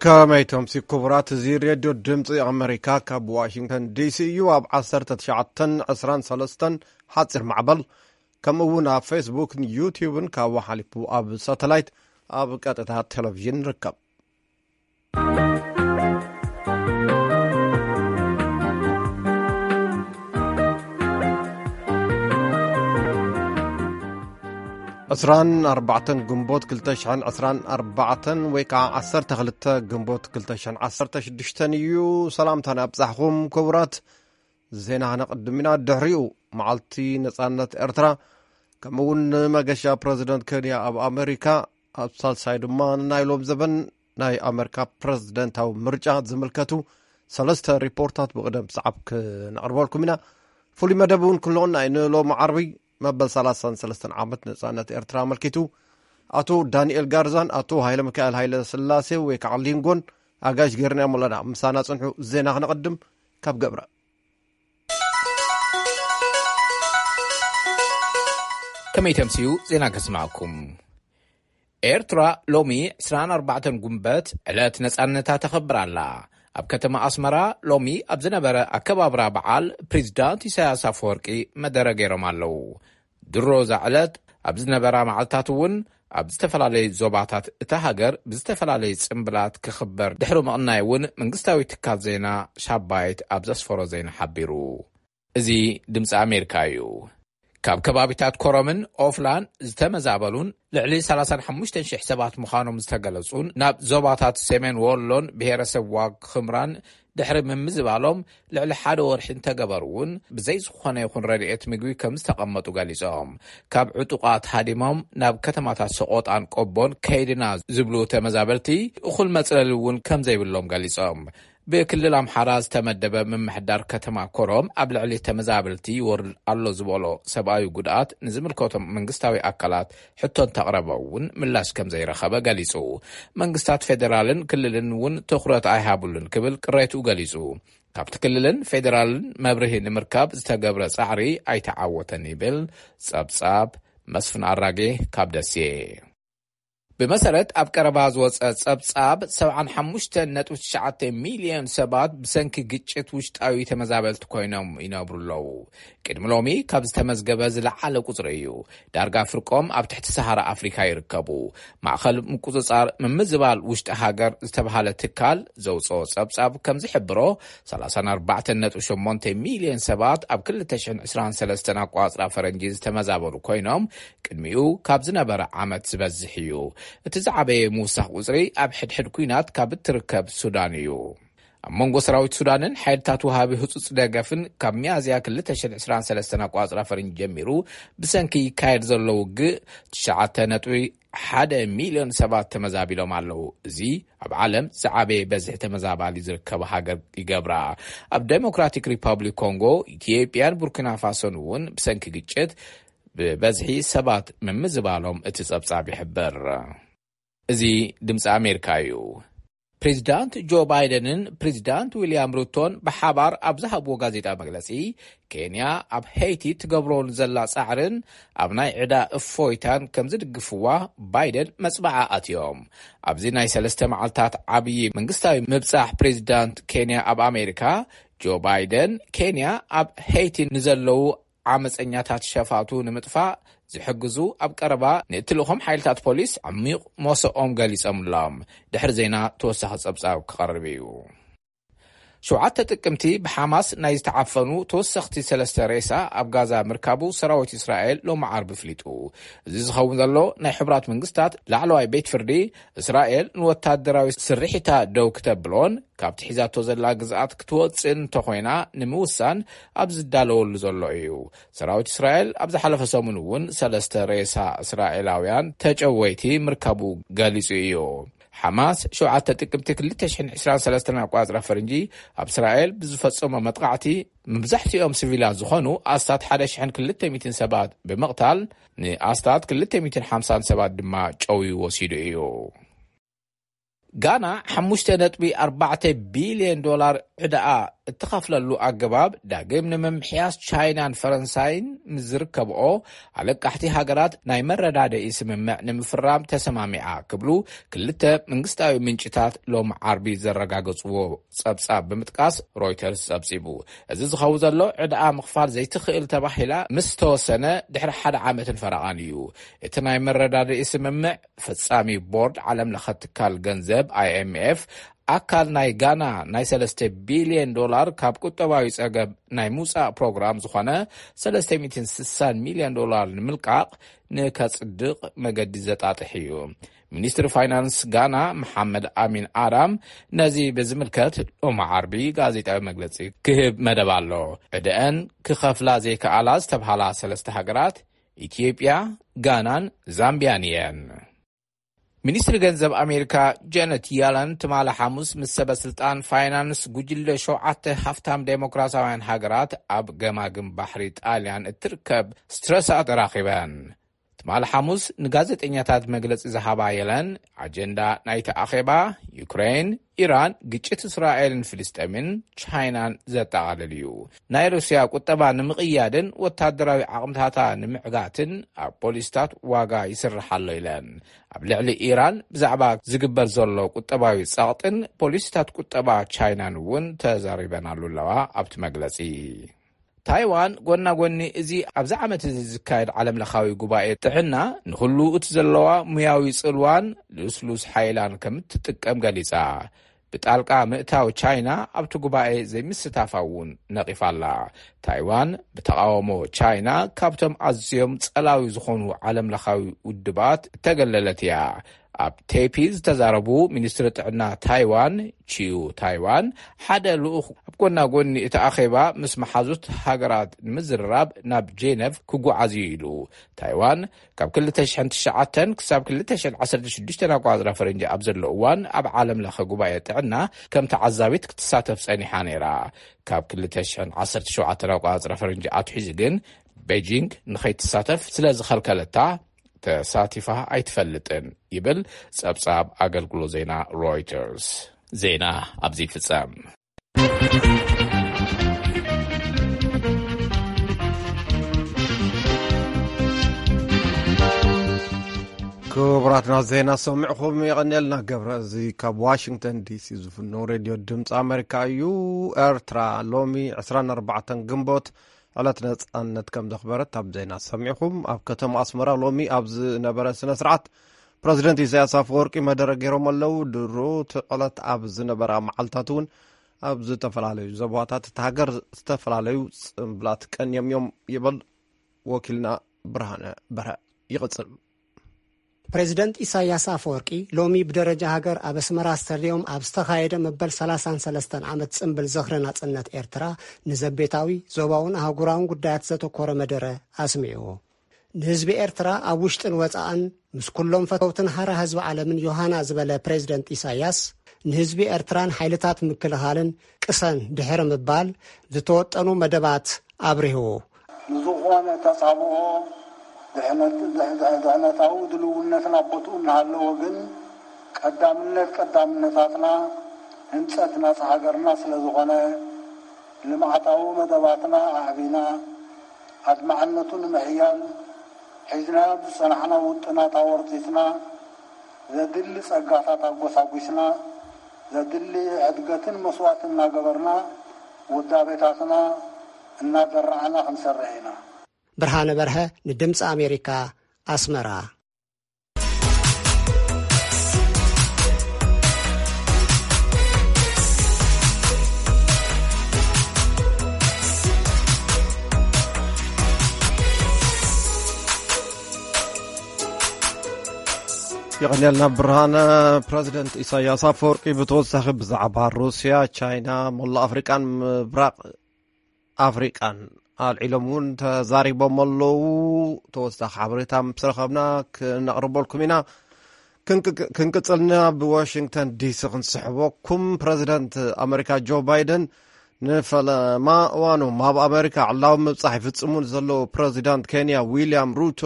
ከመይ ተምሲ ክቡራት፣ እዚ ሬድዮ ድምፂ ኣመሪካ ካብ ዋሽንግተን ዲሲ እዩ። ኣብ ዓሰርተ ትሽዓተን ዕስራን ሰለስተን ሓፂር ማዕበል፣ ከምኡ እውን ኣብ ፌስቡክን ዩቲዩብን ካብኡ ሓሊፉ ኣብ ሳተላይት ኣብ ቀጥታ ቴሌቪዥን ንርከብ። ዕስራን ኣርባዕተን ግንቦት ክልተ ሽሕን ዕስራን ኣርባዕተን ወይ ከዓ ዓሰርተ ክልተ ግንቦት ክልተ ሽሕን ዓሰርተ ሽዱሽተን እዩ። ሰላምታና ኣብጻሕኹም ክቡራት። ዜና ከነቕድም ኢና። ድሕሪኡ መዓልቲ ነጻነት ኤርትራ፣ ከምኡ እውን ንመገሻ ፕረዚደንት ኬንያ ኣብ ኣመሪካ፣ ኣብ ሳልሳይ ድማ ንናይ ሎም ዘበን ናይ ኣመሪካ ፕረዚደንታዊ ምርጫ ዝምልከቱ ሰለስተ ሪፖርታት ብቕደም ሰዓብ ክነቕርበልኩም ኢና። ፍሉይ መደብ እውን ክንልቕና እዩ። ንሎሚ ዓርቢ መበል ሰላሳን ሰለስተን ዓመት ነጻነት ኤርትራ ኣመልኪቱ ኣቶ ዳንኤል ጋርዛን ኣቶ ሃይለ ሚካኤል ሃይለ ስላሴ ወይ ከዓ ሊንጎን ኣጋይሽ ጌርናዮም ኣለና። ምሳና ጽንሑ። ዜና ክነቐድም ካብ ገብረ። ከመይ ተምስዩ ዜና ከስማዕኩም። ኤርትራ ሎሚ ዕስራን ኣርባዕተን ጉንበት ዕለት ነጻነታ ተኸብር ኣላ። ኣብ ከተማ ኣስመራ ሎሚ ኣብ ዝነበረ ኣከባብራ በዓል፣ ፕሬዚዳንት ኢሳያስ ኣፈወርቂ መደረ ገይሮም ኣለዉ። ድሮ እዛ ዕለት ኣብ ዝነበራ መዓልታት እውን ኣብ ዝተፈላለዩ ዞባታት እታ ሃገር ብዝተፈላለየ ጽምብላት ክኽበር ድሕሪ ምቕናይ እውን መንግስታዊ ትካል ዜና ሻባይት ኣብ ዘስፈሮ ዜና ሓቢሩ። እዚ ድምፂ ኣሜሪካ እዩ። ካብ ከባቢታት ኮረምን ኦፍላን ዝተመዛበሉን ልዕሊ ሰላሳን ሓሙሽተን ሽሕ ሰባት ምዃኖም ዝተገለጹን ናብ ዞባታት ሰሜን ወሎን ብሄረሰብ ዋግ ኽምራን ድሕሪ ምምዝባሎም ልዕሊ ሓደ ወርሒ እንተገበሩ እውን ብዘይ ዝኾነ ይኹን ረድኤት ምግቢ ከም ዝተቐመጡ ገሊጾም። ካብ ዕጡቓት ሃዲሞም ናብ ከተማታት ሰቆጣን ቆቦን ከይድና ዝብሉ ተመዛበልቲ እኹል መጽለሊ እውን ከም ዘይብሎም ገሊጾም። ብክልል ኣምሓራ ዝተመደበ ምምሕዳር ከተማ ኮረም ኣብ ልዕሊ ተመዛበልቲ ይወርድ ኣሎ ዝበሎ ሰብኣዊ ጉድኣት ንዝምልከቶም መንግስታዊ ኣካላት ሕቶ እንተቕረበ እውን ምላሽ ከም ዘይረኸበ ገሊጹ። መንግስታት ፌዴራልን ክልልን እውን ትኹረት ኣይሃብሉን ክብል ቅሬትኡ ገሊጹ። ካብቲ ክልልን ፌዴራልን መብርሂ ንምርካብ ዝተገብረ ጻዕሪ ኣይተዓወተን ይብል ጸብጻብ መስፍን ኣራጌ ካብ ደሴ። ብመሰረት ኣብ ቀረባ ዝወጸ ጸብጻብ፣ ሰብዓን ሓሙሽተን ነጥቢ ትሽዓተ ሚልዮን ሰባት ብሰንኪ ግጭት ውሽጣዊ ተመዛበልቲ ኮይኖም ይነብሩ ኣለዉ። ቅድሚ ሎሚ ካብ ዝተመዝገበ ዝለዓለ ቁጽሪ እዩ። ዳርጋ ፍርቆም ኣብ ትሕቲ ሰሃራ ኣፍሪካ ይርከቡ። ማእኸል ምቁጽጻር ምምዝባል ውሽጢ ሃገር ዝተብሃለ ትካል ዘውጽኦ ጸብጻብ ከም ዝሕብሮ፣ ሰላሳን ኣርባዕተን ነጥቢ ሸሞንተ ሚልዮን ሰባት ኣብ ክልተ ሽሕን ዕስራን ሰለስተን ኣቋጽራ ፈረንጂ ዝተመዛበሉ ኮይኖም፣ ቅድሚኡ ካብ ዝነበረ ዓመት ዝበዝሕ እዩ። እቲ ዝዓበየ ምውሳኽ ቁጽሪ ኣብ ሕድሕድ ኲናት ካብ እትርከብ ሱዳን እዩ። ኣብ መንጎ ሰራዊት ሱዳንን ሓይልታት ወሃቢ ህጹጽ ደገፍን ካብ ሚያዝያ ክልተ ሽሕን ዕስራን ሰለስተን ኣቋጽራ ፈረንጂ ጀሚሩ ብሰንኪ ይካየድ ዘሎ ውግእ ትሽዓተ ነጥቢ ሓደ ሚልዮን ሰባት ተመዛቢሎም ኣለዉ። እዚ ኣብ ዓለም ዝዓበየ በዝሒ ተመዛባሊ ዝርከቡ ሃገር ይገብራ። ኣብ ዴሞክራቲክ ሪፓብሊክ ኮንጎ፣ ኢትዮጵያን ቡርኪና ፋሶን እውን ብሰንኪ ግጭት ብበዝሒ ሰባት ምምዝባሎም እቲ ጸብጻብ ይሕብር። እዚ ድምፂ ኣሜሪካ እዩ። ፕሬዚዳንት ጆ ባይደንን ፕሬዚዳንት ዊልያም ሩቶን ብሓባር ኣብ ዝሃብዎ ጋዜጣ መግለፂ፣ ኬንያ ኣብ ሄይቲ ትገብሮ ንዘላ ጻዕርን ኣብ ናይ ዕዳ እፎይታን ከም ዝድግፍዋ ባይደን መጽባዓ ኣትዮም። ኣብዚ ናይ ሰለስተ መዓልታት ዓብዪ መንግስታዊ ምብጻሕ ፕሬዚዳንት ኬንያ ኣብ ኣሜሪካ፣ ጆ ባይደን፣ ኬንያ ኣብ ሄይቲ ንዘለዉ ዓመፀኛታት ሸፋቱ ንምጥፋእ ዝሕግዙ ኣብ ቀረባ ንእትልእኾም ሓይልታት ፖሊስ ዓሚቕ ሞሰኦም ገሊጾምሎም። ድሕሪ ዜና ተወሳኺ ጸብጻብ ክቐርብ እዩ። ሸውዓተ ጥቅምቲ ብሓማስ ናይ ዝተዓፈኑ ተወሰኽቲ ሰለስተ ሬሳ ኣብ ጋዛ ምርካቡ ሰራዊት እስራኤል ሎሚ ዓርቢ ኣፍሊጡ። እዚ ዝኸውን ዘሎ ናይ ሕቡራት መንግስታት ላዕለዋይ ቤት ፍርዲ እስራኤል ንወታደራዊ ስርሒታ ደው ክተብሎን ካብቲ ሒዛቶ ዘላ ግዝኣት ክትወፅእን እንተኾይና ንምውሳን ኣብ ዝዳለወሉ ዘሎ እዩ። ሰራዊት እስራኤል ኣብ ዝሓለፈ ሰሙን እውን ሰለስተ ሬሳ እስራኤላውያን ተጨወይቲ ምርካቡ ገሊጹ እዩ። ሓማስ ሸውዓተ ጥቅምቲ ክልተ ሽሕን ዕስራን ሰለስተን ኣቋጽራ ፈረንጂ ኣብ እስራኤል ብዝፈጸሞ መጥቃዕቲ መብዛሕትኦም ሲቪላት ዝኾኑ ኣስታት ሓደ ሽሕን ክልተ ሚእትን ሰባት ብምቕታል ንኣስታት ክልተ ሚእትን ሓምሳን ሰባት ድማ ጨውዩ ወሲዱ እዩ። ጋና ሓሙሽተ ነጥቢ ኣርባዕተ ቢልዮን ዶላር ዕዳኣ እትኸፍለሉ ኣገባብ ዳግም ንምምሕያስ ቻይናን ፈረንሳይን ምስ ዝርከብኦ ኣለቃሕቲ ሃገራት ናይ መረዳድኢ ስምምዕ ንምፍራም ተሰማሚዓ ክብሉ ክልተ መንግስታዊ ምንጭታት ሎም ዓርቢ ዘረጋገጽዎ ጸብጻብ ብምጥቃስ ሮይተርስ ጸብጺቡ። እዚ ዝኸውን ዘሎ ዕድኣ ምኽፋል ዘይትኽእል ተባሂላ ምስ ተወሰነ ድሕሪ ሓደ ዓመትን ፈረቓን እዩ። እቲ ናይ መረዳድኢ ስምምዕ ፈጻሚ ቦርድ ዓለም ለኸ ትካል ገንዘብ I M F ኣካል ናይ ጋና ናይ ሰለስተ ቢልዮን ዶላር ካብ ቁጠባዊ ጸገብ ናይ ምውጻእ ፕሮግራም ዝኾነ ሰለስተ ሚእትን ስሳን ሚልዮን ዶላር ንምልቃቕ ንከጽድቕ መገዲ ዘጣጥሕ እዩ። ሚኒስትሪ ፋይናንስ ጋና መሓመድ ኣሚን ኣዳም ነዚ ብዝምልከት ሎሚ ዓርቢ ጋዜጣዊ መግለጺ ክህብ መደብ ኣሎ። ዕድአን ክኸፍላ ዘይከኣላ ዝተብሃላ ሰለስተ ሃገራት ኢትዮጵያ፣ ጋናን ዛምቢያን እየን። ሚኒስትሪ ገንዘብ ኣሜሪካ ጀነት ያለን ትማሊ ሓሙስ ምስ ሰበ ስልጣን ፋይናንስ ጉጅለ ሸውዓተ ሃፍታም ዴሞክራሲያውያን ሃገራት ኣብ ገማግም ባሕሪ ጣልያን እትርከብ ስትረሳ ተራኺበን። ትማሊ ሓሙስ ንጋዜጠኛታት መግለጺ ዝሃባ የለን፣ ኣጀንዳ ናይቲ ኣኼባ ዩክሬን፣ ኢራን፣ ግጭት እስራኤልን ፍልስጤምን ቻይናን ዘጠቓልል እዩ። ናይ ሩስያ ቁጠባ ንምቕያድን ወታደራዊ ዓቕምታታ ንምዕጋትን ኣብ ፖሊስታት ዋጋ ይስራሕ ኣሎ ኢለን። ኣብ ልዕሊ ኢራን ብዛዕባ ዝግበር ዘሎ ቁጠባዊ ጸቕጥን ፖሊሲታት ቁጠባ ቻይናን እውን ተዛሪበናሉ ኣለዋ። ኣብቲ መግለጺ ታይዋን ጎና ጎኒ እዚ ኣብዚ ዓመት እዚ ዝካየድ ዓለም ለኻዊ ጉባኤ ጥዕና ንኹሉ እቲ ዘለዋ ሙያዊ ጽልዋን ልስሉስ ሓይላን ከም እትጥቀም ገሊጻ። ብጣልቃ ምእታው ቻይና ኣብቲ ጉባኤ ዘይምስታፋ እውን ነቒፋ ኣላ። ታይዋን ብተቓውሞ ቻይና ካብቶም ኣዝዮም ጸላዊ ዝኾኑ ዓለም ለኻዊ ውድባት እተገለለት እያ። ኣብ ቴፒ ዝተዛረቡ ሚኒስትሪ ጥዕና ታይዋን ቺዩ ታይዋን ሓደ ልኡኽ ኣብ ጎና ጎኒ እቲ ኣኼባ ምስ መሓዙት ሃገራት ንምዝርራብ ናብ ጄነቭ ክጓዓዝ እዩ ኢሉ። ታይዋን ካብ ክልተ ሽሕን ትሽዓተን ክሳብ ክልተ ሽሕን ዓሰርተ ሽዱሽተን ኣቋጽራ ፈረንጂ ኣብ ዘሎ እዋን ኣብ ዓለም ለኸ ጉባኤ ጥዕና ከም ተዓዛቢት ክትሳተፍ ጸኒሓ ነይራ። ካብ ክልተ ሽሕን ዓሰርተ ሸውዓተን ኣቋጽራ ፈረንጂ ኣትሒዙ ግን ቤጂንግ ንኸይትሳተፍ ስለ ዝኸልከለታ ተሳቲፋ ኣይትፈልጥን ይብል ጸብጻብ ኣገልግሎት ዜና ሮይተርስ። ዜና ኣብዚ ይፍጸም። ክቡራትና ዜና ሰሚዕኹም የቐንየልና። ገብረ እዚ ካብ ዋሽንግተን ዲሲ ዝፍኖ ሬድዮ ድምፂ ኣሜሪካ እዩ። ኤርትራ ሎሚ ዕስራን ኣርባዕተን ግንቦት ዕለት ነጻነት ከም ዘኽበረት ኣብ ዜና ሰሚዕኹም። ኣብ ከተማ ኣስመራ ሎሚ ኣብ ዝነበረ ስነ ስርዓት ፕረዚደንት ኢሳያስ ኣፈወርቂ መደረ ገይሮም ኣለዉ። ድሮ እቲ ዕለት ኣብ ዝነበራ መዓልታት እውን ኣብ ዝተፈላለዩ ዞባታት እቲ ሃገር ዝተፈላለዩ ጽምብላት ቀንዮም እዮም ይብል ወኪልና ብርሃነ በርሀ። ይቕጽል። ፕሬዚደንት ኢሳያስ ኣፈወርቂ ሎሚ ብደረጃ ሃገር ኣብ ኣስመራ ስታድዮም ኣብ ዝተኻየደ መበል ሰላሳን ሰለስተን ዓመት ጽምብል ዝኽሪ ናጽነት ኤርትራ ንዘቤታዊ፣ ዞባውን ኣህጉራውን ጉዳያት ዘተኮረ መደረ ኣስሚዑ። ንህዝቢ ኤርትራ ኣብ ውሽጥን ወጻእን ምስ ኩሎም ፈተውትን ሃራ ህዝቢ ዓለምን ዮሃና ዝበለ ፕሬዚደንት ኢሳያስ፣ ንህዝቢ ኤርትራን ሓይልታት ምክልኻልን ቅሰን ድሕሪ ምባል ዝተወጠኑ መደባት ኣብሪሁ። ንዝኾነ ተጻብኦ ድሕነት-፣ ድሕ-፣ ድሕነታዊ ድልውነትና ቦትኡ እናሃለወ ግን ቀዳምነት ቀዳምነታትና ህንጸት ናጻ ሃገርና ስለ ዝኾነ ልምዓታዊ መደባትና ኣዕቢና ኣድማዕነቱ ንምሕያል ሒዝናዮ ዝጸናሕና ውጥናት ኣወርቲትና ዘድሊ ጸጋታት ኣጎሳጒስና ዘድሊ ሕድገትን መስዋእትን እናገበርና ውዳቤታትና እናዘራዕና ክንሰርሕ ኢና። ብርሃነ በርሀ ንድምፂ ኣሜሪካ ኣስመራ። የቐንየልና ብርሃነ። ፕረዚደንት ኢሳያስ ኣፈወርቂ ብተወሳኺ ብዛዕባ ሩስያ፣ ቻይና፣ መላእ ኣፍሪቃን ምብራቕ ኣፍሪቃን ኣልዒሎም እውን ተዛሪቦም ኣለዉ። ተወሳኺ ሓበሬታ ምስ ረኸብና ክነቕርበልኩም ኢና። ክንቅ-፣ ክንቅጽልና ብዋሽንግተን ዲሲ ክንስሕበኩም። ፕረዚደንት ኣመሪካ ጆ ባይደን ንፈለማ እዋኖም ኣብ ኣመሪካ ዕላዊ ምብጻሕ ይፍጽሙ ንዘለዉ ፕረዚዳንት ኬንያ ዊልያም ሩቶ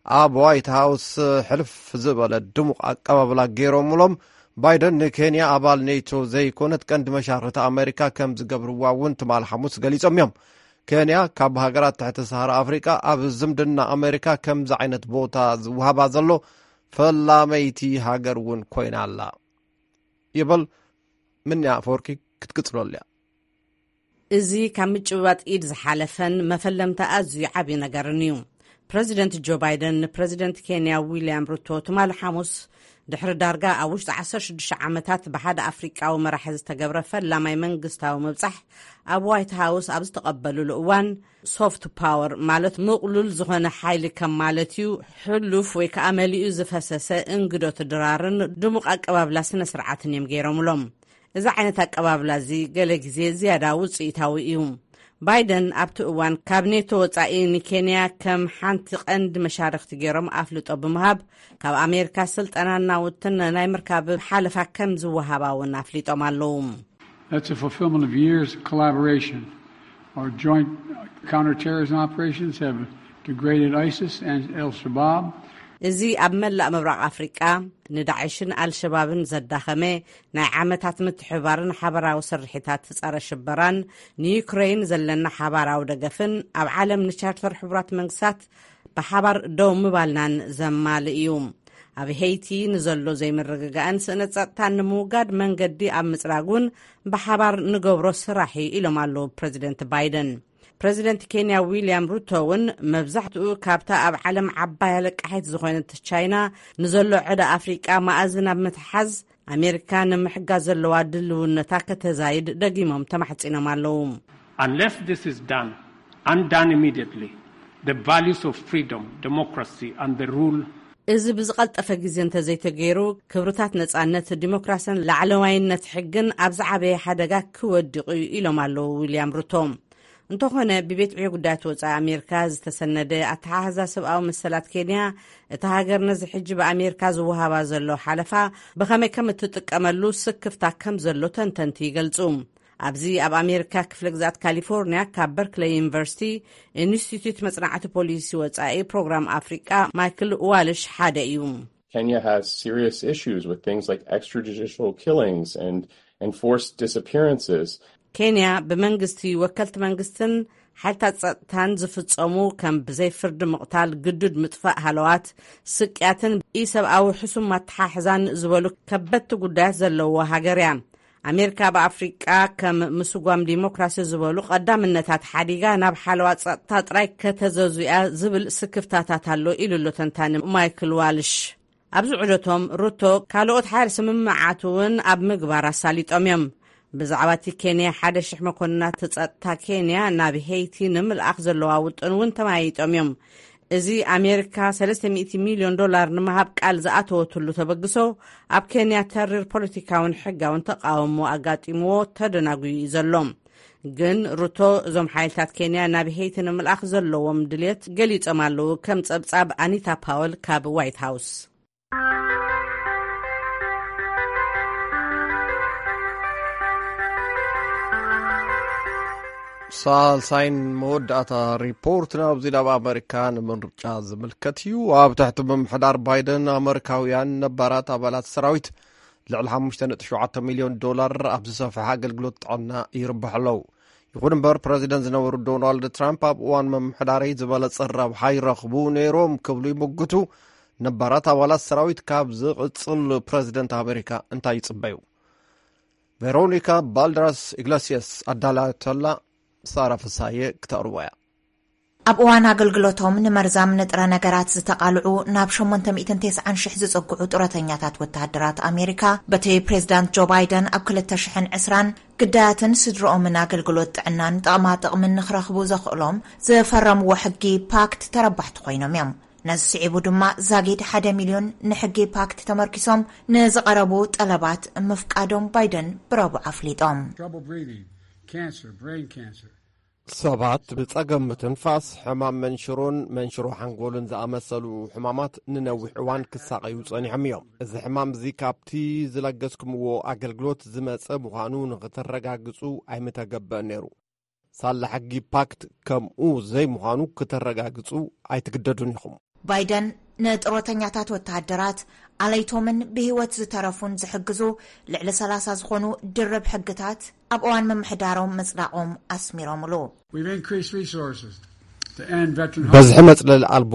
ኣብ ዋይት ሃውስ ሕልፍ ዝበለ ድሙቕ ኣቀባብላ ገይሮምሎም። ባይደን ንኬንያ ኣባል ኔቶ ዘይኮነት ቀንዲ መሻርክቲ ኣሜሪካ ከም ዝገብርዋ እውን ትማል ሓሙስ ገሊጾም እዮም። ኬንያ ካብ ሃገራት ትሕቲ ሰሃራ ኣፍሪቃ ኣብ ዝምድና ኣሜሪካ ከምዚ ዓይነት ቦታ ዝወሃባ ዘሎ ፈላመይቲ ሃገር እውን ኮይና ኣላ ይብል። ምንያ ኣፈወርቂ ክትቅጽለሉ እያ። እዚ ካብ ምጭብባጥ ኢድ ዝሓለፈን መፈለምታ ኣዝዩ ዓብዪ ነገርን እዩ። ፕረዚደንት ጆ ባይደን ንፕረዚደንት ኬንያ ዊልያም ሩቶ ትማሊ ሓሙስ ድሕሪ ዳርጋ ኣብ ውሽጢ ዓሰርተ ሽዱሽተ ዓመታት ብሓደ ኣፍሪቃዊ መራሒ ዝተገብረ ፈላማይ መንግስታዊ ምብጻሕ ኣብ ዋይት ሃውስ ኣብ ዝተቐበሉሉ እዋን፣ ሶፍት ፓወር ማለት ምቕሉል ዝኾነ ሓይሊ ከም ማለት እዩ፣ ሕሉፍ ወይ ከዓ መሊኡ ዝፈሰሰ እንግዶት ድራርን ድሙቕ ኣቀባብላ ስነ ስርዓትን እዮም ገይሮምሎም። እዚ ዓይነት ኣቀባብላ እዚ ገለ ግዜ ዝያዳ ውፅኢታዊ እዩ። ባይደን ኣብቲ እዋን ካብ ኔቶ ወፃኢ ንኬንያ ከም ሓንቲ ቀንዲ መሻርክቲ ገይሮም ኣፍልጦ ብምሃብ፣ ካብ ኣሜሪካ ስልጠናን ናውትን ናይ ምርካብ ሓለፋ ከም ዝወሃባ እውን ኣፍሊጦም ኣለዉ። That's a fulfillment of years of collaboration. Our joint counterterrorism operations have degraded ISIS and Al Shabaab. እዚ ኣብ መላእ ምብራቕ ኣፍሪቃ ንዳዕሽን ኣልሸባብን ዘዳኸመ ናይ ዓመታት ምትሕብባርን ሓበራዊ ስርሒታት ጸረ ሽበራን፣ ንዩክረይን ዘለና ሓባራዊ ደገፍን ኣብ ዓለም ንቻርተር ሕቡራት መንግስታት ብሓባር ደው ምባልናን ዘማልእ እዩ። ኣብ ሄይቲ ንዘሎ ዘይምርግጋእን ስእነት ጸጥታን ንምውጋድ መንገዲ ኣብ ምጽራግ እውን ብሓባር ንገብሮ ስራሕ እዩ ኢሎም ኣለዉ ፕረዚደንት ባይደን። ፕረዚደንት ኬንያ ዊልያም ሩቶ እውን መብዛሕትኡ ካብታ ኣብ ዓለም ዓባይ ኣለቃሒት ዝኾነት ቻይና ንዘሎ ዕዳ ኣፍሪቃ መኣዝን ኣብ ምትሓዝ ኣሜሪካ ንምሕጋዝ ዘለዋ ድልውነታ ከተዛይድ ደጊሞም ተማሕጺኖም ኣለዉ። Unless this is done and done immediately, the values of freedom, democracy and the rule እዚ ብዝቐልጠፈ ግዜ እንተዘይተገይሩ ክብርታት ነጻነት፣ ዲሞክራስን ላዕለዋይነት ሕግን ኣብ ዝዓበየ ሓደጋ ክወድቑ እዩ ኢሎም ኣለዉ ዊልያም ሩቶ። እንተኾነ ብቤት ዕዮ ጉዳያት ወጻኢ ኣሜሪካ ዝተሰነደ ኣተሓሕዛ ሰብኣዊ መሰላት ኬንያ፣ እታ ሃገር ነዚ ሕጂ ብኣሜሪካ ዝወሃባ ዘሎ ሓለፋ ብኸመይ ከም እትጥቀመሉ ስክፍታ ከም ዘሎ ተንተንቲ ይገልጹ። ኣብዚ ኣብ ኣሜሪካ ክፍለ ግዝኣት ካሊፎርኒያ ካብ በርክለይ ዩኒቨርሲቲ ኢንስቲትዩት መጽናዕቲ ፖሊሲ ወጻኢ ፕሮግራም ኣፍሪቃ ማይክል ዋልሽ ሓደ እዩ። Kenya has serious issues with things like extrajudicial killings and enforced disappearances. ኬንያ ብመንግስቲ፣ ወከልቲ መንግስትን ሓይልታት ጸጥታን ዝፍጸሙ ከም ብዘይ ፍርዲ ምቕታል፣ ግዱድ ምጥፋእ ሃለዋት፣ ስቅያትን ኢሰብኣዊ ሕሱም ኣተሓሕዛን ዝበሉ ከበድቲ ጉዳያት ዘለዎ ሃገር እያ። ኣሜሪካ ኣብ ኣፍሪቃ ከም ምስጓም ዲሞክራሲ ዝበሉ ቀዳምነታት ሓዲጋ ናብ ሓለዋ ጸጥታ ጥራይ ከተዘዙ እያ ዝብል ስክፍታታት ኣሎ ኢሉ ኣሎ ተንታኒ ማይክል ዋልሽ። ኣብዚ ዑደቶም ሩቶ ካልኦት ሓያል ስምምዓት እውን ኣብ ምግባር ኣሳሊጦም እዮም። ብዛዕባ እቲ ኬንያ ሓደ ሽሕ መኮንናት ጸጥታ ኬንያ ናብ ሄይቲ ንምልኣኽ ዘለዋ ውጥን እውን ተመያይጦም እዮም። እዚ ኣሜሪካ ሰለስተ ሚእቲ ሚልዮን ዶላር ንምሃብ ቃል ዝኣተወትሉ ተበግሶ ኣብ ኬንያ ተሪር ፖለቲካውን ሕጋውን ተቃውሞ ኣጋጢምዎ ተደናጉዩ እዩ ዘሎ። ግን ሩቶ እዞም ሓይልታት ኬንያ ናብ ሄይቲ ንምልኣኽ ዘለዎም ድልየት ገሊጾም ኣለዉ፣ ከም ጸብጻብ ኣኒታ ፓወል ካብ ዋይት ሃውስ። ሳልሳይን መወዳእታ ሪፖርት ናብዚ ናብ ኣመሪካ ንምርጫ ዝምልከት እዩ። ኣብ ትሕቲ ምምሕዳር ባይደን ኣመሪካውያን ነባራት ኣባላት ሰራዊት ልዕሊ ሓሙሽተ ነጥቢ ሸውዓተ ሚልዮን ዶላር ኣብ ዝሰፍሐ ኣገልግሎት ጥዕና ይርብሑ ኣለዉ። ይኹን እምበር ፕረዚደንት ዝነበሩ ዶናልድ ትራምፕ ኣብ እዋን ምምሕዳረይ ዝበለጸ ረብሓ ይረኽቡ ነይሮም ክብሉ ይምግቱ። ነባራት ኣባላት ሰራዊት ካብ ዝቕጽል ፕረዚደንት ኣመሪካ እንታይ ይጽበዩ? ቬሮኒካ ባልደራስ ኢግለሲየስ ኣዳላተላ ሳራ ፍሳየ ክተቕርቦ እያ። ኣብ እዋን ኣገልግሎቶም ንመርዛም ንጥረ ነገራት ዝተቓልዑ ናብ ሸሞንተ ሚእትን ተስዓን ሽሕ ዝጸግዑ ጡረተኛታት ወተሃደራት ኣሜሪካ፣ በቲ ፕሬዝዳንት ጆ ባይደን ኣብ ክልተ ሽሕን ዕስራን ግዳያትን ስድርኦምን ኣገልግሎት ጥዕናን ጥቕማ ጥቕምን ንኽረኽቡ ዘኽእሎም ዝፈረምዎ ሕጊ ፓክት ተረባሕቲ ኮይኖም እዮም። ነዚ ስዒቡ ድማ ዛጊድ ሓደ ሚልዮን ንሕጊ ፓክት ተመርኪሶም ንዝቐረቡ ጠለባት ምፍቃዶም ባይደን ብረቡዕ ኣፍሊጦም። Trouble breathing, cancer, brain cancer. ሰባት ብጸገም ምትንፋስ፣ ሕማም መንሽሮን መንሽሮ ሓንጎልን ዝኣመሰሉ ሕማማት ንነዊሕ እዋን ክሳቐዩ ጸኒሖም እዮም። እዚ ሕማም እዚ ካብቲ ዝለገስኩምዎ ኣገልግሎት ዝመጸ ምዃኑ ንኽተረጋግጹ ኣይምተገብእን ነይሩ። ሳላ ሕጊ ፓክት ከምኡ ዘይምዃኑ ክተረጋግጹ ኣይትግደዱን ኢኹም። ባይደን ንጥሮተኛታት ወተሃደራት፣ ኣለይቶምን ብህይወት ዝተረፉን ዝሕግዙ ልዕሊ ሰላሳ ዝኾኑ ድርብ ሕግታት ኣብ እዋን ምምሕዳሮም ምጽዳቖም ኣስሚሮምሉ። We've increased resources to end veteran በዝሒ መጽለሊ ኣልቦ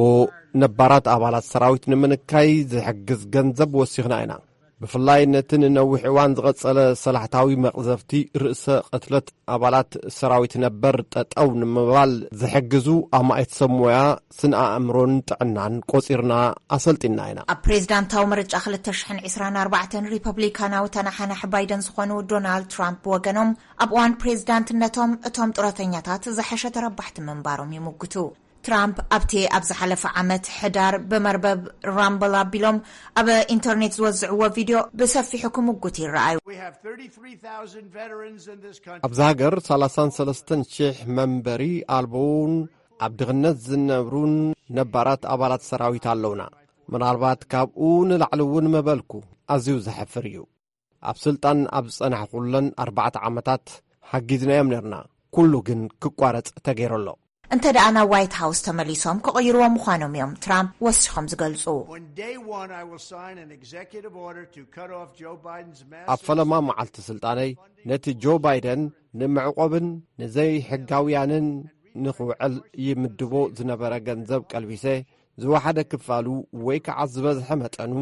ነባራት ኣባላት ሰራዊት ንምንካይ ዝሕግዝ ገንዘብ ወሲኽና ኢና። ብፍላይ ነቲ ንነዊሕ እዋን ዝቐጸለ ሰላሕታዊ መቕዘፍቲ ርእሰ ቅትለት ኣባላት ሰራዊት ነበር ጠጠው ንምባል ዝሕግዙ ኣማኢት ሰብ ሞያ ስነ ኣእምሮን ጥዕናን ቆጺርና ኣሰልጢና ኢና። ኣብ ፕሬዝዳንታዊ ምርጫ ክልተ ሽሕን ዕስራን ኣርባዕተን ሪፐብሊካናዊ ተናሓናሒ ባይደን ዝኾኑ ዶናልድ ትራምፕ ብወገኖም፣ ኣብ እዋን ፕሬዝዳንትነቶም እቶም ጡረተኛታት ዝሐሸ ተረባሕቲ ምንባሮም ይምጉቱ። ትራምፕ ኣብቲ ኣብ ዝሓለፈ ዓመት ሕዳር ብመርበብ ራምብል ኣቢሎም ኣብ ኢንተርኔት ዝወዝዕዎ ቪድዮ ብሰፊሑ ክምጉት ይረኣዩ። We have thirty-three thousand veterans in this country. ኣብዚ ሃገር ሰላሳን ሰለስተን ሽሕ መንበሪ ኣልቦውን ኣብ ድኽነት ዝነብሩን ነባራት ኣባላት ሰራዊት ኣለውና። ምናልባት ካብኡ ንላዕሊ እውን ምበልኩ። ኣዝዩ ዘሕፍር እዩ። ኣብ ስልጣን ኣብ ዝጸናሕኩለን ኣርባዕተ ዓመታት ሓጊዝናዮም ነርና። ኩሉ ግን ክቋረጽ ተገይሩ ኣሎ። እንተ ደኣ ናብ ዋይት ሃውስ ተመሊሶም ክቕይርዎ ምዃኖም እዮም ትራምፕ ወሲኾም ዝገልጹ። On day one, I will sign an executive order to cut off Joe Biden's ኣብ massive ፈለማ መዓልቲ ስልጣነይ ነቲ ጆ ባይደን ንምዕቆብን ንዘይሕጋውያንን ንኽውዕል ይምድቦ ዝነበረ ገንዘብ ቀልቢሰ፣ ዝወሓደ ክፋሉ ወይ ከዓ ዝበዝሐ መጠኑ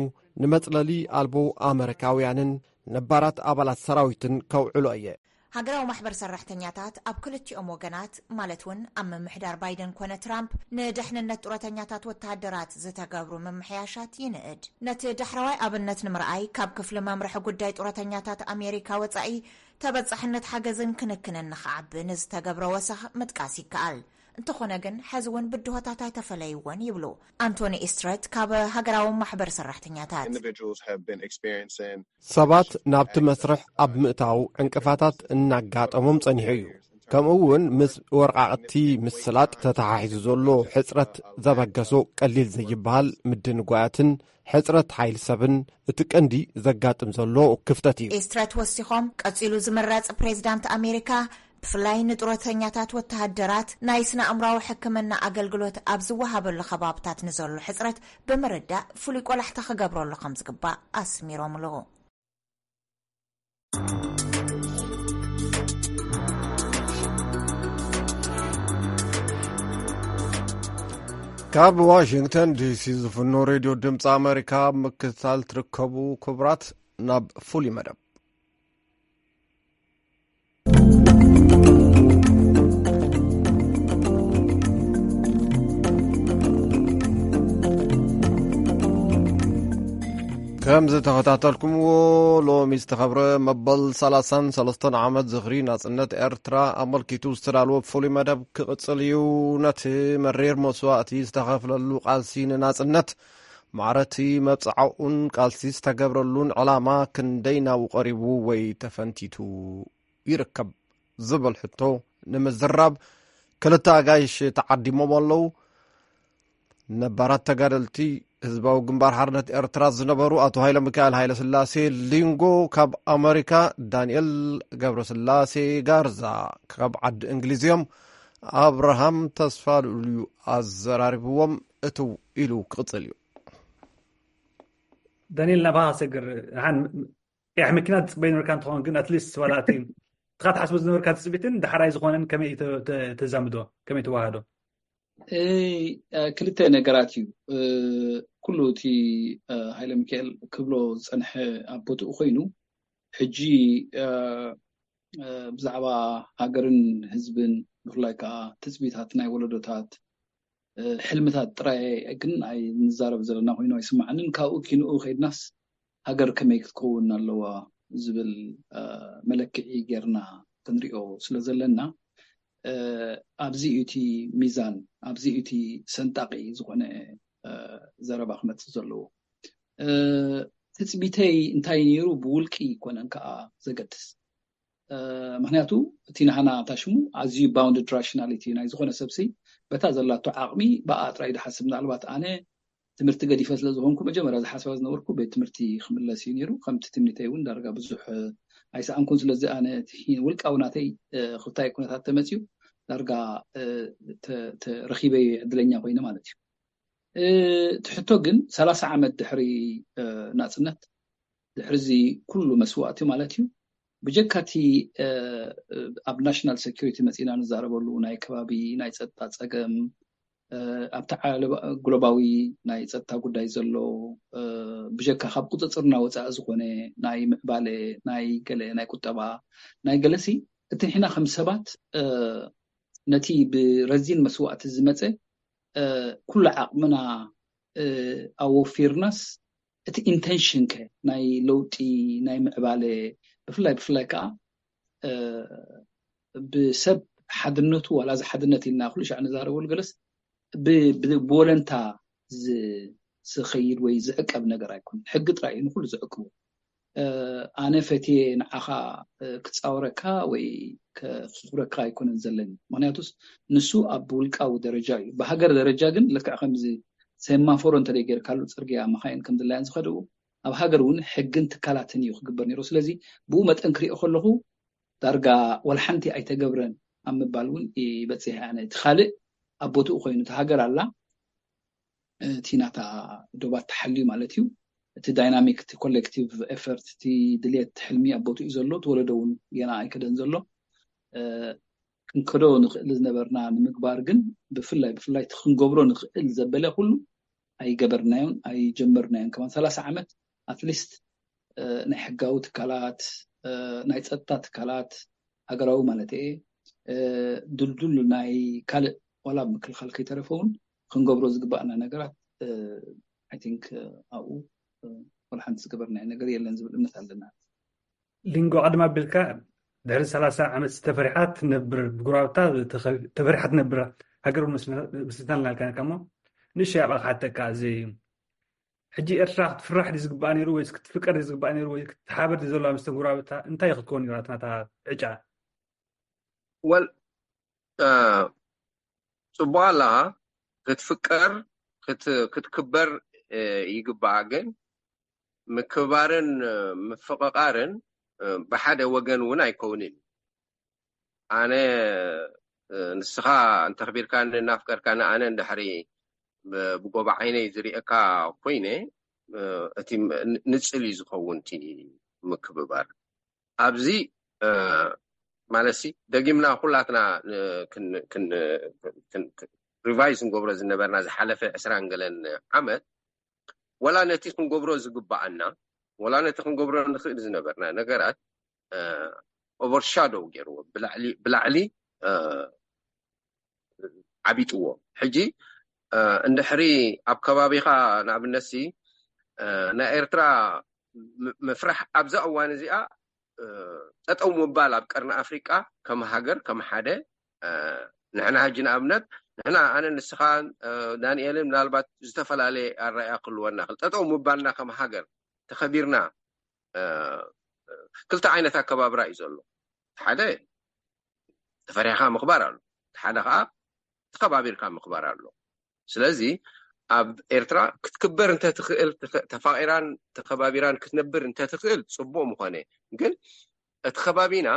ንመጽለሊ ኣልቦ ኣመሪካውያንን ነባራት ኣባላት ሰራዊትን ከውዕሎ እየ። ሃገራዊ ማሕበር ሰራሕተኛታት ኣብ ክልቲኦም ወገናት፣ ማለት እውን ኣብ ምምሕዳር ባይደን ኮነ ትራምፕ፣ ንደሕንነት ጡረተኛታት ወተሃደራት ዝተገብሩ ምምሕያሻት ይንእድ። ነቲ ዳሕረዋይ ኣብነት ንምርኣይ፣ ካብ ክፍሊ መምርሒ ጉዳይ ጡረተኛታት ኣሜሪካ ወጻኢ፣ ተበጻሕነት ሓገዝን ክንክንን ንኽዓቢ ንዝተገብረ ወሰኽ ምጥቃስ ይከኣል። እንተኾነ ግን፣ ሕዚ እውን ብድሆታት ኣይተፈለይዎን ይብሉ ኣንቶኒ ኢስትረት ካብ ሃገራዊ ማሕበር ሰራሕተኛታት። Individuals have been experiencing ሰባት ናብቲ መስርሕ ኣብ ምእታው ዕንቅፋታት እናጋጠሞም ጸኒሑ እዩ። ከምኡ እውን ምስ ወርቃቕቲ ምስላጥ ተተሓሒዙ ዘሎ ሕጽረት ዘበገሶ ቀሊል ዘይበሃል ምድንጓያትን ሕጽረት ሓይሊ ሰብን እቲ ቀንዲ ዘጋጥም ዘሎ ክፍተት እዩ። ኢስትረት ወሲኾም፣ ቀጺሉ ዝምረጽ ፕሬዝዳንት ኣሜሪካ ብፍላይ ንጡረተኛታት ወተሃደራት ናይ ስነ ኣእምራዊ ሕክምና ኣገልግሎት ኣብ ዝወሃበሉ ከባብታት ንዘሎ ሕጽረት ብምርዳእ ፍሉይ ቆላሕታ ክገብረሉ ከም ዝግባእ ኣስሚሮምሉ። ካብ ዋሽንግተን ዲሲ ዝፍኖ ሬድዮ ድምፂ ኣሜሪካ ኣብ ምክትታል ትርከቡ ክቡራት፣ ናብ ፍሉይ መደብ። ከም ዝተኸታተልኩምዎ፣ ሎሚ ዝተኸብረ መበል ሰላሳን ሰለስተን ዓመት ዝኽሪ ናጽነት ኤርትራ ኣመልኪቱ ዝተዳልወ ፍሉይ መደብ ክቕጽል እዩ። ነቲ መሪር መስዋእቲ ዝተኸፍለሉ ቃልሲ ንናጽነት፣ ማዕረቲ መብጽዓኡን ቃልሲ ዝተገብረሉን ዕላማ ክንደይ ናብኡ ቀሪቡ ወይ ተፈንቲቱ ይርከብ ዝብል ሕቶ ንምዝራብ ክልተ ኣጋይሽ ተዓዲሞም ኣለዉ። ነባራት ተጋደልቲ ህዝባዊ ግንባር ሓርነት ኤርትራ ዝነበሩ ኣቶ ሃይለ ሚካኤል ሃይለ ስላሴ ሊንጎ ካብ ኣመሪካ፣ ዳንኤል ገብረስላሴ ጋርዛ ካብ ዓዲ እንግሊዝ እዮም። ኣብርሃም ተስፋ ልኡል እዩ ኣዘራሪብዎም። እትው ኢሉ ክቕጽል እዩ። ዳንኤል፣ ናባኻ ሰግር። ሓን ያሕ መኪና ትጽበይ ነበርካ እንትኸውን፣ ግን ኣትሊስት ዋላ እቲ ትኻ ትሓስቦ ዝነበርካ ትጽቢትን ዳሕራይ ዝኾነን ከመይ ተ- ተ- ተዛምዶ፣ ከመይ ተዋህዶ? እ፣ ክልተ ነገራት እዩ። እ፣ ኩሉ እቲ እ፣ ሃይለ ሚካኤል ክብሎ ዝጸንሐ ኣብ ቦትኡ ኮይኑ፣ ሕጂ እ፣ እ፣ ብዛዕባ ሃገርን ህዝብን፣ ብፍላይ ከዓ ትጽቢታት ናይ ወለዶታት፣ እ፣ ሕልምታት ጥራይ ግን ኣይንዛረብ ዘለና ኮይኑ ኣይስማዓንን። ካብኡ ኪንኡ ከይድናስ ሃገር ከመይ ክትከውን ኣለዋ ዝብል እ፣ መለክዒ ጌርና ክንሪኦ ስለ ዘለና፣ እ፣ ኣብዚ እዩ እቲ ሚዛን፣ ኣብዚ እዩ እቲ ሰንጣቂ ዝኾነ እ፣ ዘረባ ክመጽእ ዘለዎ። እ፣ ትጽቢተይ እንታይ ነይሩ ብውልቂ ኣይኮነን ከኣ ዘገድስ። እ፣ ምኽንያቱ እቲ ናህና ታሽሙ ኣዝዩ bounded rationality ናይ ዝኾነ ሰብሲ በታ ዘላቶ ዓቕሚ ብኣ ጥራይ ድሓስብ። ምናልባት ኣነ ትምህርቲ ገዲፈ ስለ ዝኾንኩ መጀመርያ ዝሓስባ ዝነበርኩ ቤት ትምህርቲ ክምለስ እዩ ነይሩ። ከምቲ ትምኒተይ እውን ዳርጋ ብዙሕ ኣይሰኣንኩን። ስለዚ ኣነ እቲ ውልቃዊ ናተይ እ፣ ክልታይ ኩነታት ተመፅዩ ዳርጋ እ፣ ተ- ተ- ረኺበ ዕድለኛ ኮይነ ማለት እዩ። እቲ ሕቶ ግን ሰላሳ ዓመት ድሕሪ ናፅነት፣ ድሕሪ እዚ ኩሉ መስዋእቲ ማለት እዩ፣ ብጀካ እቲ ኣብ ናሽናል ሴኩሪቲ መፂና ንዛረበሉ ናይ ከባቢ ናይ ፀጥታ ፀገም፣ ኣብቲ ግሎባዊ ናይ ፀጥታ ጉዳይ ዘሎ፣ ብጀካ ካብ ቁፅፅርና ወፃኢ ዝኾነ ናይ ምዕባለ፣ ናይ ገለ ናይ ቁጠባ፣ ናይ ገለሲ፣ እቲ ንሕና ከም ሰባት ነቲ ብረዚን መስዋእቲ ዝመፀ ኩሉ ዓቕምና ኣወፊርናስ፣ እቲ ኢንተንሽን ከ ናይ ለውጢ፣ ናይ ምዕባለ፣ ብፍላይ ብፍላይ ከዓ ብሰብ ሓድነቱ፣ ዋላ እዚ ሓድነት ኢልና ኩሉ ሻዕ ንዛረበሉ ገለስ፣ ብወለንታ ዝኸይድ ወይ ዝዕቀብ ነገር ኣይኮነን። ሕጊ ጥራይ እዩ ንኩሉ ዝዕቅቡ። ኣነ ፈትየ ንዓኻ ክፃወረካ ወይ ከፍኩረካ ኣይኮነን ዘለኒ። ምክንያቱስ ንሱ ኣብ ውልቃዊ ደረጃ እዩ። ብሃገር ደረጃ ግን ልክዕ ከምዚ ሴማፎሮ እንተደይ ጌርካሉ፣ ፅርግያ መኻይን ከም ድላየን ዝኸድኡ፣ ኣብ ሃገር እውን ሕግን ትካላትን እዩ ክግበር ነይሩ። ስለዚ ብኡ መጠን ክሪኦ ከለኹ ዳርጋ ወላ ሓንቲ ኣይተገብረን ኣብ ምባል እውን ይበፅሕ። ኣነ እቲ ካልእ ኣብ ቦትኡ ኮይኑ፣ እቲ ሃገር ኣላ፣ እቲ ናታ ዶባት ተሓልዩ ማለት እዩ። እቲ ዳይናሚክ፣ እቲ ኮሌክቲቭ ኤፈርት፣ እቲ ድልየት፣ ሕልሚ ኣብ ቦትኡ ዘሎ፣ እቲ ወለዶ እውን ገና ኣይከደን ዘሎ። ክንከዶ ንኽእል ዝነበርና ንምግባር ግን፣ ብፍላይ ብፍላይ እቲ ክንገብሮ ንኽእል ዘበለ ኩሉ ኣይገበርናዮን ኣይጀመርናዮን። ከማን ሰላሳ ዓመት ኣትሊስት ናይ ሕጋዊ ትካላት፣ ናይ ፀጥታ ትካላት፣ ሃገራዊ ማለት እየ፣ ድልዱል ናይ ካልእ ዋላ ምክልኻል ከይተረፈ እውን ክንገብሮ ዝግባእና ነገራት፣ ኣይ ቲንክ፣ ኣብኡ ዋላ ሓንቲ ዝገበርናዮ ነገር የለን ዝብል እምነት ኣለና። ሊንጎ፣ ቀደም ኣቢልካ ድሕሪ ሰላሳ ዓመት ተፈሪሓ ትነብር፣ ብጉራብታ ተፈሪሓ ትነብር ሃገር እውን መስሪትና ኣለና ኢልካ ነርካ እሞ፣ ንእሽተይ ኣብኣ ክሓተካ፣ እዚ ሕጂ ኤርትራ ክትፍራሕ ድዩ ዝግባኣ ነይሩ ወይስ ክትፍቀር ድዩ ዝግባኣ ነይሩ ወይ ክትሓበር ድዩ ዘለዋ ምስ ተጉራብታ? እንታይ ክትከውን ነይራ ናታ ዕጫ? ወል ጽቡቅ ኣላ ክትፍቀር ክትክበር ይግባኣ፣ ግን ምክባርን ምፍቕቓርን ብሓደ ወገን እውን ኣይከውንን። ኣነ ንስኻ እንተኽቢርካኒ እናፍቀርካኒ ኣነ እንድሕሪ ብጎባ ዓይነይ ዝሪእካ ኮይነ እቲ ንፅል እዩ ዝኸውን እቲ ምክብባር ኣብዚ ማለት ሲ ደጊምና ኩላትና ሪቫይዝ ንገብሮ ዝነበርና ዝሓለፈ ዕስራን ገለን ዓመት ወላ ነቲ ክንገብሮ ዝግባኣና ወላ ነቲ ክንገብሮ ንኽእል ዝነበርና ነገራት ኦቨርሻዶው ገይርዎ ብላዕሊ ዓቢጥዎ። ሕጂ እንድሕሪ ኣብ ከባቢኻ ንኣብነት ሲ ናይ ኤርትራ ምፍራሕ ኣብዛ እዋን እዚኣ ጠጠው ምባል ኣብ ቀርኒ ኣፍሪቃ ከም ሃገር ከም ሓደ ንሕና ሕጂ ንኣብነት ንሕና ኣነ ንስኻን ዳንኤልን ምናልባት ዝተፈላለየ ኣረኣያ ክህልወና ክል ጠጠው ምባልና ከም ሃገር ተኸቢርና ክልተ ዓይነት ኣከባብራ እዩ ዘሎ። ሓደ ተፈሪሕካ ምኽባር ኣሎ፣ ሓደ ከዓ ተኸባቢርካ ምኽባር ኣሎ። ስለዚ ኣብ ኤርትራ ክትክበር እንተትኽእል ተፋቂራን ተኸባቢራን ክትነብር እንተትኽእል ፅቡቅ ምኾነ። ግን እቲ ከባቢና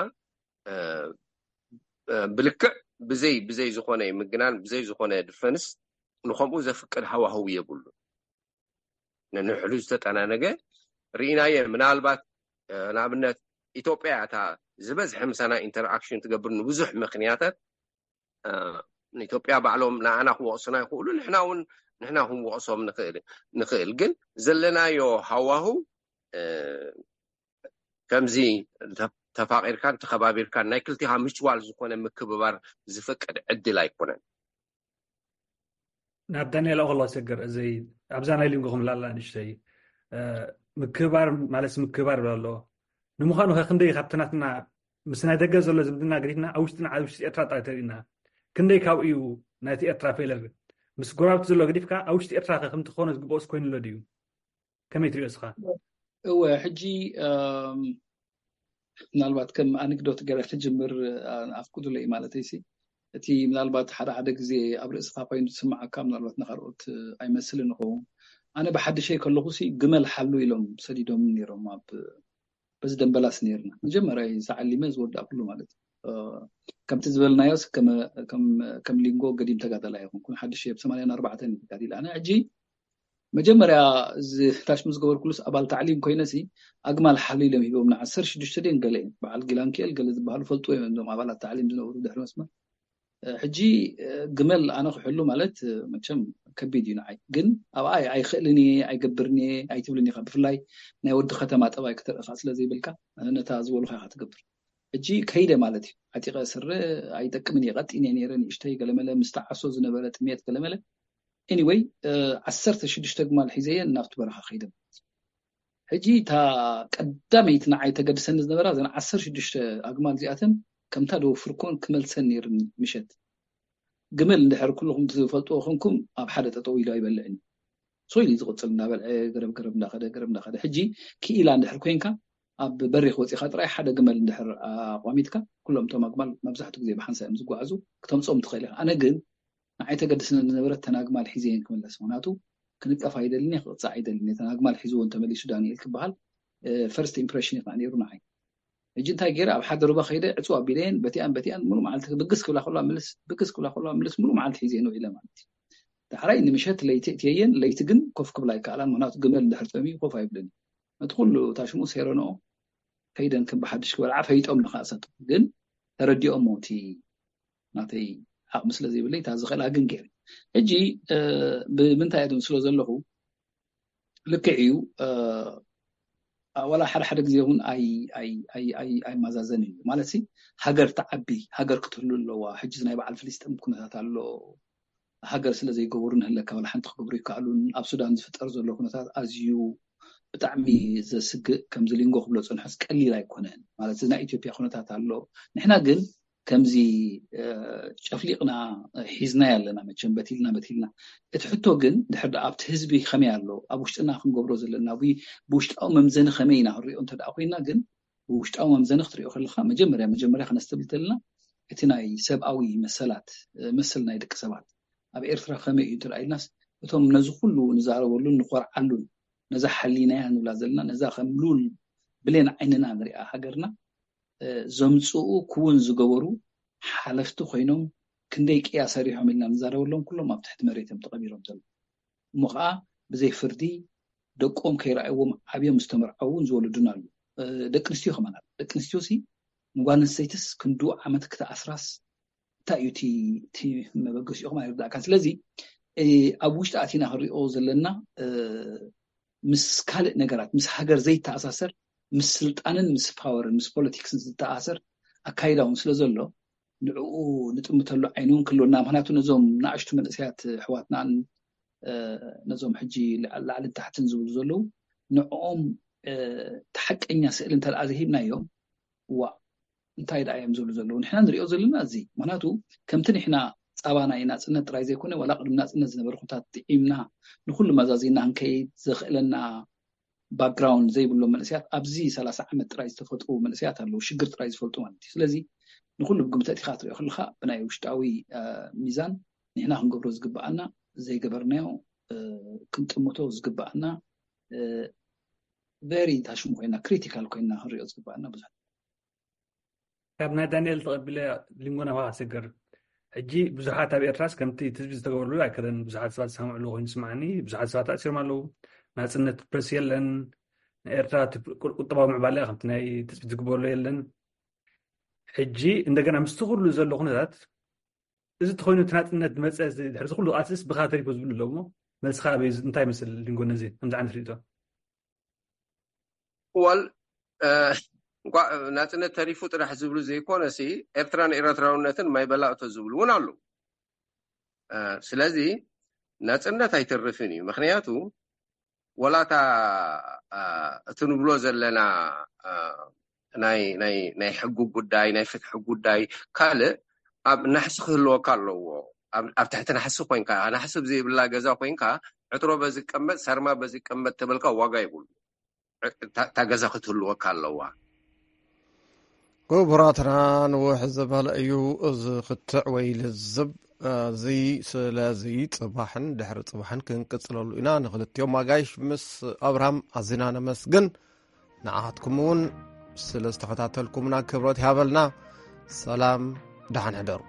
ብልክዕ ብዘይ ብዘይ ዝኾነ ምግናን ብዘይ ዝኾነ ድፈንስ ንከምኡ ዘፍቅድ ሃዋህው የብሉን። ነንሕሉ ዝተጠናነገ ርኢናየ። ምናልባት ንኣብነት ኢትዮጵያ እታ ዝበዝሐ ምሳና ኢንተርኣክሽን ትገብር ንብዙሕ ምክንያታት ንኢትዮጵያ ባዕሎም ንዓና ክወቕሱና ይኽእሉ፣ ንሕና እውን ንሕና ክንወቕሶም ንኽእል። ግን ዘለናዮ ሃዋህው ከምዚ ተፋቂርካን ተኸባቢርካን ናይ ክልቲኻ ምችዋል ዝኾነ ምክብባር ዝፈቅድ ዕድል ኣይኮነን። ናብ ዳንኤል ኣኸሎ ሰገር እዚ ኣብዛ ናይ ሊንጎ ክምላላ ንእሽተይ ምክብባር ማለት ምክብባር ብላ ኣሎ። ንምዃኑ ከ ክንደይ ካብቲ ናትና ምስ ናይ ደገ ዘሎ ዝምድና ገዲፍና ኣብ ውሽጥና ኣብ ውሽጢ ኤርትራ ጥራይ ተሪእና ክንደይ ካብኡ እዩ ናይቲ ኤርትራ ፌለር ምስ ጎራብቲ ዘሎ ገዲፍካ ኣብ ውሽጢ ኤርትራ ከ ከምቲ ክኾነ ዝግብኦስ ኮይኑ ኣሎ ድዩ? ከመይ ትሪኦ እስኻ? እወ ሕጂ ምናልባት ከም ኣነክዶት ገለ ክጅምር ኣፍቅዱለይ ማለት ሲ እቲ ምናልባት ሓደ ሓደ ግዜ ኣብ ርእስኻ ኮይኑ ዝስምዓካ ምናልባት ንካልኦት ኣይመስልን ይኸውን። ኣነ ብሓድሸይ ከለኹ ሲ ግመል ሓሉ ኢሎም ሰዲዶም ነይሮም ኣብ በዚ ደንበላስ ነይርና መጀመርያ ተዓሊመ ዝወዳእኩሉ ማለት እዩ። ከምቲ ዝበልናዮስ ከም ሊንጎ ገዲም ተጋዳላይ ኣይኮንኩን። ሓድሽ እየ፣ ብ84 ተጋዲለ። ኣነ ሕጂ መጀመርያ እዚ ታሽሙ ዝገበርኩሉስ ኣባል ታዕሊም ኮይነሲ ኣግማል ሓሊሎም ሂቦም ን16 ድን ገለ እዮም። በዓል ጊላንኪኤል ገለ ዝበሃሉ ፈልጡ እዮም እዞም ኣባላት ታዕሊም ዝነበሩ ድሕሪ መስመር። ሕጂ ግመል ኣነ ክሕሉ ማለት መቸም ከቢድ እዩ ንዓይ። ግን ኣብኣ ኣይክእልን እየ ኣይገብርን እየ ኣይትብልን ኢኻ። ብፍላይ ናይ ወዲ ከተማ ጠባይ ክትርእኻ ስለ ዘይብልካ ነታ ዝበሉኻ ኢኻ ትገብር። ሕጂ ከይደ ማለት እዩ። ዓጢቐ ስረ ኣይጠቅምን እየ። ቀጢን እየ ነይረ ንእሽተይ ገለመለ ምስ ተዓሶ ዝነበረ ጥሜት ገለመለ። Anyway 16 ግማል ሒዘየን ናብቲ በረኻ ከይደ ማለት እዩ። ሕጂ እታ ቀዳመይቲ ንዓይ ተገድሰኒ ዝነበራ እዘን 16 ኣግማል እዚኣተን ከምታ ደወፍርኮን ክመልሰን ነይርኒ። ምሸት ግመል እንድሕር ኩልኹም ትፈልጥዎ ኮንኩም ኣብ ሓደ ጠጠው ኢሉ ኣይበልዕን እዩ። ሶ ኢሉ ዝቕፅል እንዳበልዐ ገረብ ገረብ እንዳኸደ ገረብ እንዳኸደ። ሕጂ ክኢላ እንድሕር ኮይንካ ኣብ በሪኽ ወፂኻ ጥራይ ሓደ ግመል እንድሕር ኣቋሚጥካ ኩሎም እቶም ኣግማል መብዛሕትኡ ግዜ ብሓንሳ እዮም ዝጓዓዙ ክተምፅኦም ትኽእል ኢኻ። ኣነ ግን ንዓይ ተገድስኒ ዝነበረት ተን ኣግማል ሒዘየን ክምለስ። ምክንያቱ ክንቀፍ ኣይደልን እየ፣ ክቕፃዕ ኣይደልን እየ። ተን ኣግማል ሒዝዎ እንተመሊሱ ዳንኤል ክበሃል ፈርስት ኢምፕሬሽን እዩ ከዓ ነይሩ ንዓይ። ሕጂ እንታይ ገይረ ኣብ ሓደ ሩባ ከይደ ዕፅው ኣቢለየን በቲኣን በቲኣን ሙሉ መዓልቲ ብግስ ክብላ ከሎ ምልስ ብግስ ክብላ ከሎ ምልስ ሙሉ መዓልቲ ሒዘየን ውዒለ ማለት እዩ። ዳሕራይ ንምሸት ለይቲ እትየየን ለይቲ ግን ኮፍ ክብላ ኣይከኣላን። ምክንያቱ ግመል እንድሕር ጠምዩ ኮፍ ኣይብልን። ነቲ ኩሉ ታሽሙ ሴረንኦ ከይደን ከም ብሓድሽ ክበልዓ ፈይጦም ንኸኣሰቱ ግን ተረዲኦም እቲ ናተይ ዓቕሚ ስለ ዘይብለይ እታ ዝኽእላ ግን ገይረ። ሕጂ ብምንታይ እየ ስለ ዘለኹ ልክዕ እዩ። ዋላ ሓደ ሓደ ግዜ እውን ኣይማዛዘን እዩ ማለት ሃገር ተዓቢ ሃገር ክትህሉ ኣለዋ። ሕጂ ናይ በዓል ፍልስጥም ኩነታት ኣሎ። ሃገር ስለ ዘይገበሩ ንህለካ ዋላ ሓንቲ ክገብሩ ይከኣሉን። ኣብ ሱዳን ዝፍጠር ዘሎ ኩነታት ኣዝዩ ብጣዕሚ ዘስግእ ከምዚ ሊንጎ ክብሎ ፀንሖስ ቀሊል ኣይኮነን ማለት ናይ ኢትዮጵያ ኩነታት ኣሎ። ንሕና ግን ከምዚ ጨፍሊቕና ሒዝናዮ ኣለና። መቸም በቲልና በቲልና እቲ ሕቶ ግን ድሕር ኣብቲ ህዝቢ ከመይ ኣሎ ኣብ ውሽጥና ክንገብሮ ዘለና ብውሽጣዊ መምዘኒ ከመይ ኢና ክንሪኦ እንተ ኮይና ግን ብውሽጣዊ መምዘኒ ክትሪኦ ከለካ መጀመርያ መጀመርያ ከነስተብል ተለና እቲ ናይ ሰብኣዊ መሰላት መሰል ናይ ደቂ ሰባት ኣብ ኤርትራ ከመይ እዩ እንተ ኢልናስ እቶም ነዚ ኩሉ ንዛረበሉን ንኮርዓሉን ነዛ ሓሊናያ ንብላ ዘለና ነዛ ከም ሉል ብሌን ዓይንና ንሪኣ ሃገርና ዘምፅኡ ክውን ዝገበሩ ሓለፍቲ ኮይኖም ክንደይ ቅያ ሰሪሖም ኢልና ንዛረበሎም ኩሎም ኣብ ትሕቲ መሬት እዮም ተቐቢሮም ዘለዉ። እሞ ከዓ ብዘይ ፍርዲ ደቆም ከይረኣይዎም ዓብዮም ዝተመርዓው እውን ዝወለዱና ኣለዉ። ደቂ ኣንስትዮ ከማና ደቂ ኣንስትዮ ሲ ንጓል ኣንስተይትስ ክንዱ ዓመት ክትኣስራስ እንታይ እዩ እቲ መበገሲኦም ኣይርዳእካን። ስለዚ ኣብ ውሽጢ ኣቲና ክንሪኦ ዘለና ምስ ካልእ ነገራት ምስ ሃገር ዘይተኣሳሰር ምስ ስልጣንን ምስ ፓወርን ምስ ፖለቲክስን ዝተኣሳሰር ኣካይዳ እውን ስለ ዘሎ ንዕኡ ንጥምተሉ ዓይኒ እውን ክህልወና። ምክንያቱ ነዞም ንኣሽቱ መንእሰያት ኣሕዋትናን ነዞም ሕጂ ላዕልን ታሕትን ዝብሉ ዘለዉ ንዕኦም እቲ ሓቀኛ ስእሊ እንተ ደኣ ዘይሂብናዮም ዋ እንታይ ደኣ እዮም ዝብሉ ዘለዉ ንሕና ንሪኦ ዘለና እዚ ምክንያቱ ከምቲ ንሕና ፃባ ናይ ናፅነት ጥራይ ዘይኮነ ዋላ ቅድሚ ናፅነት ዝነበረ ኩነታት ጥዒምና ንኩሉ መዛዚና ክንከይድ ዘኽእለና ባክግራውንድ ዘይብሎም መንእሰያት ኣብዚ 30 ዓመት ጥራይ ዝተፈጥሩ መንእሰያት ኣለዉ ሽግር ጥራይ ዝፈልጡ ማለት እዩ። ስለዚ ንኩሉ ብግምት ኣእቲኻ ክትሪኦ ከለካ ብናይ ውሽጣዊ ሚዛን ንሕና ክንገብሮ ዝግበኣና ዘይገበርናዮ ክንጥምቶ ዝግበኣና ቨሪ ታሽሙ ኮይና ክሪቲካል ኮይና ክንሪኦ ዝግበኣና ብዙሕ ካብ ናይ ዳንኤል ተቐቢለ ሊንጎ ናባኻ ክሰግር። ሕጂ ብዙሓት ኣብ ኤርትራስ ከምቲ ትጽቢት ዝተገበረሉ ኣይከደን። ብዙሓት ሰባት ዝሰምዕሉ ኮይኑ ይስምዓኒ። ብዙሓት ሰባት ተኣሲሮም ኣለዉ። ናጽነት ፕረስ የለን። ናይ ኤርትራ እቲ ቁጠባዊ ምዕባለ ከምቲ ናይ ትጽቢት ዝግበረሉ የለን። ሕጂ እንደገና ምስቲ ኩሉ ዘሎ ኩነታት እዚ ተኾይኑ እቲ ናጽነት ዝመጸ ድሕሪ ኩሉ ቃልስስ ብኻ ተሪፉ ዝብሉ ኣለዉ እሞ መልስኻ ኣበይ እንታይ ይመስል ሊንጎ ነዚ ከምዚ ዓይነት ርእይቶ? ወል እንኳዕ ናፅነት ተሪፉ ጥራሕ ዝብሉ ዘይኮነሲ ኤርትራን ኤረትራውነትን ማይ በላእቶ ዝብሉ እውን ኣለዉ። ስለዚ ናፅነት ኣይተርፍን እዩ። ምክንያቱ ወላታ እቲ ንብሎ ዘለና ናይ ሕጊ ጉዳይ ናይ ፍትሒ ጉዳይ ካልእ ኣብ ናሕሲ ክህልወካ ኣለዎ። ኣብ ትሕቲ ናሕሲ ኮይንካ ናሕሲ ብዘይብላ ገዛ ኮይንካ ዕጥሮ በዚ ቀመጥ ሳርማ በዚ ቀመጥ ተበልካ ዋጋ ይብሉ። እታ ገዛ ክትህልወካ ኣለዋ። ክቡራትና ንውሕ ዝበለ እዩ እዚ ክትዕ ወይ ልዝብ እዚ። ስለዚ ፅባሕን ድሕሪ ፅባሕን ክንቅፅለሉ ኢና። ንክልቲኦም ኣጋይሽ ምስ ኣብርሃም ኣዚና ነመስግን። ንዓኻትኩም እውን ስለ ዝተኸታተልኩምና ክብረት ይሃበልና። ሰላም፣ ደሓን ሕደሩ።